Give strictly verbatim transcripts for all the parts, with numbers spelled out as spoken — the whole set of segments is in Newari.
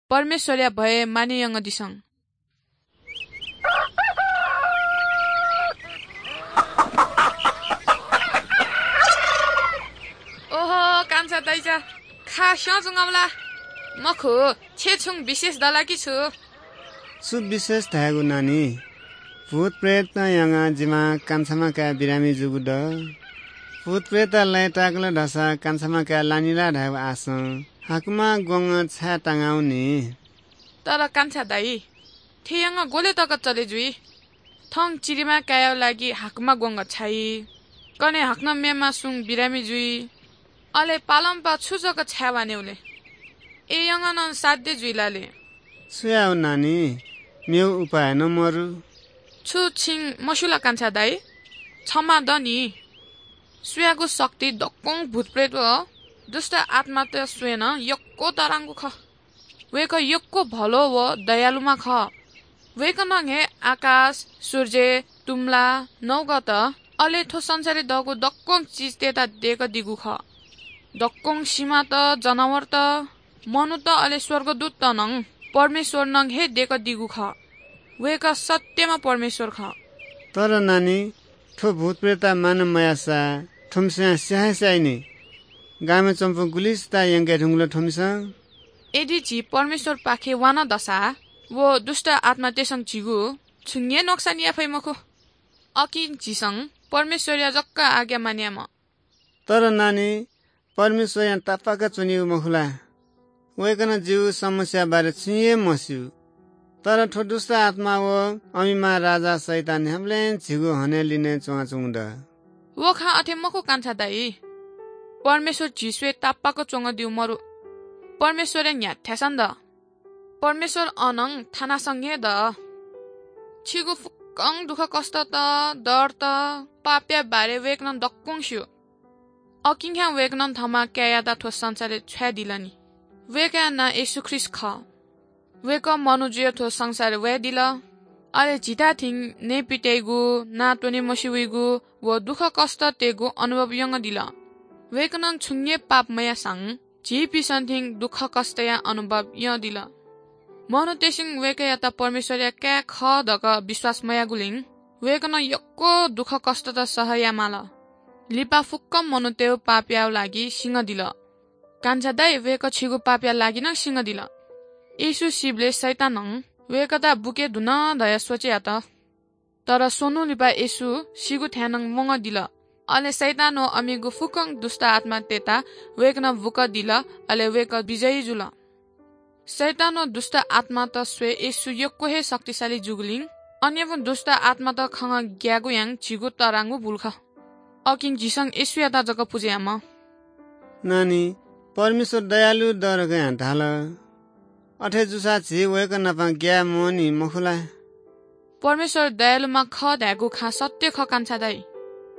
परमेश्वरया भय माने यंगदिसँ। ओहो, कान्छा दाइचा, खा स्यंच्वंगु ला? मखु, छे छुं विशेष दला कि छु? छु विशेष धायेगु नानी? भूत प्रेत यंगाः जिमा कान्छामा काय् बिरामी जूगु द। भूत प्रेत लय्ताय्कल धाःसा कान्छामा काय् लानि ला धायेगु आशं हाकुमा ग्वंगः छाय् तांगाउनि। तर कान्छा दाइ, थें यंगः ग्वले तक चले जुइ? थौं चिरिमा काय्‌या लागि हाकुमा ग्वंगः छाइ, कन्हय् हाकनं मेमा सुं बिरामी जुइ। अले पालंपाः छु जक छाय् वानेउ ले? ए यंगः नं साध्य जुइ ला ले? छु यायेउ नानी, मेउ उपाय नं मरु। छु छिं मस्यू ला कान्छा दाइ? क्षमा द नि। सुयागु शक्ति दक्वं भूतप्रेत व दुष्ट आत्मात स्वये नं यक्व तःधंगु खः। वय्कः यक्व भलो व दयालुम्ह खः। वय्कलं हे आकाश, सूर्य, तुम्ला, नौगत, अले थ्व संसारय् दःगु दक्वं चिजतय्त दय्कादीगु खः। दक्वं सिमात, जनावरत, मनूत अले स्वर्गदूतत नं परमेश्वरं हे दय्कादीगु खः। वय्कः सत्यम्ह परमेश्वर खः। तर नानी, थ्व भूतप्रेत मानय् मयाःसा थ्वमिसं स्या हे स्याइ नि। गामय् च्वंपिं गुलिसित यंके धुंकल थ्वमिसं। यदि झी परमेश्वरपाखे वा नं दसा, व दुष्ट आत्मातय्सं झीगु छुं हे नोक्सान याये फइ मखु। अकिं झीसं परमेश्वरया जक आज्ञा मानय् यायेमाः। तर नानी, परमेश्वरयां तापाक च्वनीगु मखु ला? वय्कलं जिगु समस्याया बारे छुं हे मस्यू। तर थ्व दुष्ट आत्मा व अमिमा राजा शैतान न्ह्याबलें झीगु हने लिने च्वनाच्वंगु द। व खँ अथे मखु कान्छा दाइ। परमेश्वर झी स्वये तापाक च्वंगु दिउ मरु। परमेश्वरया न्ह्याथाय्सं द। परमेश्वर अनं थानासं हे द। छिगु फुक्कं दुःखकष्टत, डरत, पापया बारे वय्कलं दक्वं स्यू। अकिं खा वय्कलं थःम्ह काय्‌यात थ्व संसारय् छ्वयादिल नि। वय्कःया नां येशू ख्रीष्ट खः। वय्कः मनू जुयाः थ्व संसारय् वयादिल। अले झीथाय् थें नयेपित्याइगु, नां त्वने मस्यूगु व दुःखकष्ट तयेगु अनुभव यंगदिल। वय्कलं छुं हे पाप मयाःसां झीपिंसं थें दुःखकष्टया अनुभव यंदिल। मनूतय्सं वय्कःयात परमेश्वरया काय् खः धकाः विश्वास मयाःगुलिं वय्कलं यक्व दुःखकष्टत सह यायेमाल। लिपा फुक्क मनूतय्गु पापया लागि सिंगदिल। कान्छा दाइ, वय्कः छिगु पापया लागि नं सिंगदिल। येशू सीबलय् शैतानं वय्कःयात बुके धुन धयाः सोचे यात। तर स्वन्हु लिपा येशू सीगु थाय् नं वंगदिल। अले शैतान व अमिगु फुक्कं दुष्ट आत्मातय्त वय्कलं बुकदिल, अले वय्कः विजयी जुल। शैतान व दुष्ट आत्मात स्वये येशू यक्व हे शक्तिशाली जूगुलिं अन्यापं दुष्ट आत्मात खंगः ग्यायेगु यानाः झीगु तःधंगु भूल खः। अकिं झीसं येशूयात जक पुजा यायेमाः। नानी, परमेश्वर दयालु द धकाः धाल। अथे जूसा झी वय्कः नाप ग्याये म्वःनि मखु ला? परमेश्वर दयालुम्ह खः धायेगु खँ सत्य खः कान्छा दाइ।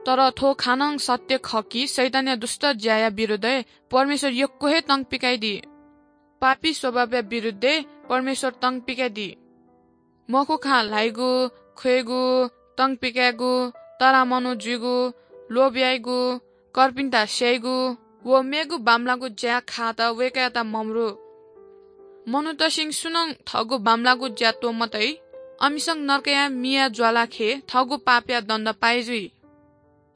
तर थ्व खँ नं सत्य खः कि शैतानया दुष्ट ज्याया विरुद्धय् परमेश्वर यक्व हे तं पिकाइदी। पापी स्वभावया विरुद्धय् परमेश्वर तं पिकाइदी। मखु खँ ल्हाइगु, ख्वयेगु, तं पिकायेगु, तःधंम्ह मनू जुइगु, लोभ याइगु, कर्पिन्त स्याइगु व मेगु बांमलाःगु ज्या खायेत वय्कःयात ममरु। मनूतय्सं सुनं थःगु बांमलाःगु ज्या त्वमतइ, अमिसं नरकया मिया ज्वालाखे थःगु पापया दण्ड पाये जुइ।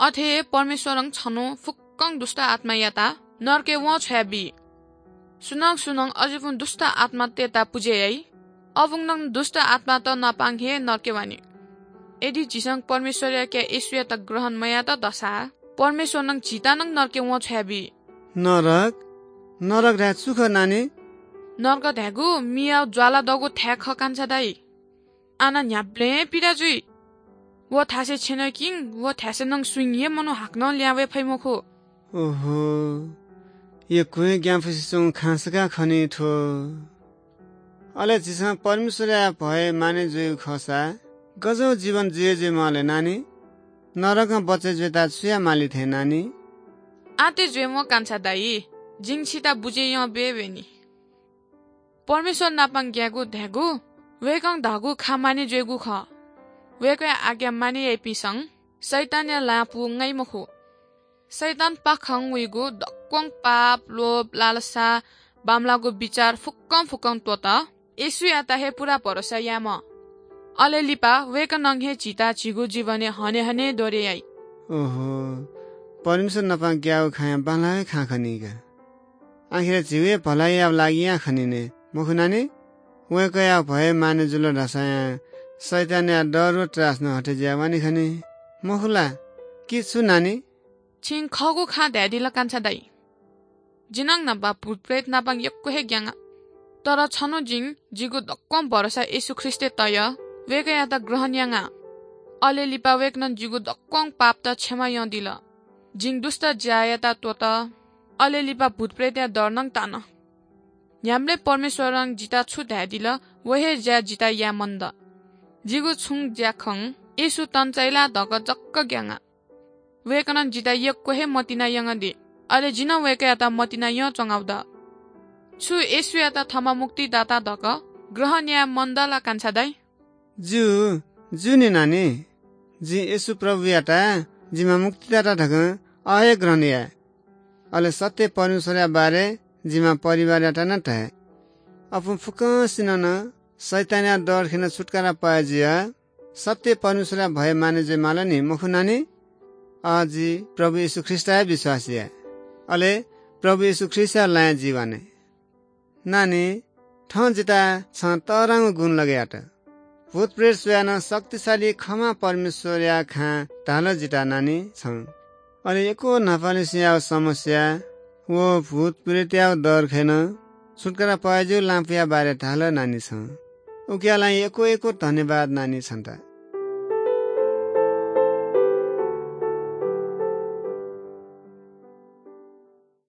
अथे हे परमेश्वरं छन्हु फुक्कं दुष्ट आत्मायात नरकय् वंछ्वयाबी। सुनं सुनं अज्याःपिं दुष्ट आत्मातय्त पुजा याइ, अबुं नं दुष्ट आत्मात नापं हे नरकय् वनी। यदि झीसं परमेश्वरया काय् येशूयात ग्रहण मयात दसा, परमेश्वरं झीत नं नरकय् वंछ्वयाबी। नरक? नरक धाय् छु खः नानी? नरक धाय्गु मिया ज्वाला दःगु थाय् खः कान्छा दाइ। आः न्ह्याबलें पीडा जुइ। व थासय् छ्यनय्किं व थासय् नं सुं हे मनू हाकनं लिहां वये फइ मखु। ओहो, यक्व हे ग्यानापुसे च्वंगु खँ सकाः खनी थ्व। अले झीसं परमेश्वरया भय माने जुइगु खःसा गज्याःगु जीवन जुइ जुइ माले नानी? नरकं बचय् जुइत छु याये माली थें नानी? आः तय् जुइम्ह कान्छा दाइ, जिं छित बुझे यं बे वयेनि। परमेश्वर नापं ग्यायेगु धाय्गु वय्कलं धाःगु खँ माने जुइगु खः। वय्कःया आज्ञा माने याइपिन्सं शैतानया ल्हाः पू ङाइ मखु। शैतानपाखें वइगु दक्वं पाप, लोभ, लालसा, बांमलाःगु बिचाः फुक्कं फुक्कं त्वःत। येशूयात हे पूरा भरोसा यायेमाः। अले लिपा वय्कलं हे झीत झीगु जीवनय् हने हने द्वरे याइ। ओहो, परमेश्वर नाप ग्याःगु खँया बांलाःगु खँ खनी का। आखिर झीगु हे भलाइया लागिं खनिने मखु नानी? वय्कःया भय माने जुल धाःसा शैतानया डर व त्रास नं हटे जुयावनी खनी, मखु ला? कि छु नानी? छिं खःगु खँ धयादिल कान्छा दाइ। जि नं नाप भूत प्रेत नाप यक्व हे ग्याना। तर छन्हु जिं जिगु दक्वं भरोसा येशू ख्रीष्टय् तया, वय्कःयात ग्रहण याना। अले लिपा वय्कलं जिगु दक्वं पापत क्षमा यानादिल। जिं दुष्ट ज्यायात त्वःत। अले लिपा भूत प्रेतया डर नं तान। न्ह्याबलें परमेश्वरं जित छु धयादिल, व हे ज्या जित याये मन द। जिगु छुं ज्याखँ येशू तंचाइ ला धकाः जक ग्याना। वय्कलं जित यक्व हे मतिना यंगु दु। अले जि नं वय्कःयात मतिना यंच्वंगु द। छु येशूयात थःम्ह मुक्तिदाता धकाः ग्रहण याये मन द ला कान्छा दाइ? ज्यू, ज्यू नि नानी। जिं येशू प्रभुयात जिम्ह मुक्तिदाता धकाः अ हे ग्रहण याये। अले सत्य परमेश्वरया बारे जिम्ह परिवारयात नं धाये। अपुं फुक्कसिनं नं शैतानया डर खनेदु छुटकारा पाये जुयाः सत्य परमेश्वरया भय माने जुइमाल नि, मखु नानी? अ, जि प्रभु येशू ख्रीष्टया विश्वास याये। अले प्रभु येशू ख्रीष्टया लँय् जि वने। नानी, थौं जितः छं तःधंगु गुण लगे यात। भूत प्रेत स्वयाः नं शक्तिशाली खंम्ह परमेश्वरया खँ धाल जितः नानी छं। अले यक्व न्हापालिसेयागु समस्या व भूत प्रेतयागु डर खनेदु छुटकारा पाये ज्यू लँपुया बारे धाल नानी छं। उकिया लागि यक्व यक्व धन्यवाद नानी छन्त।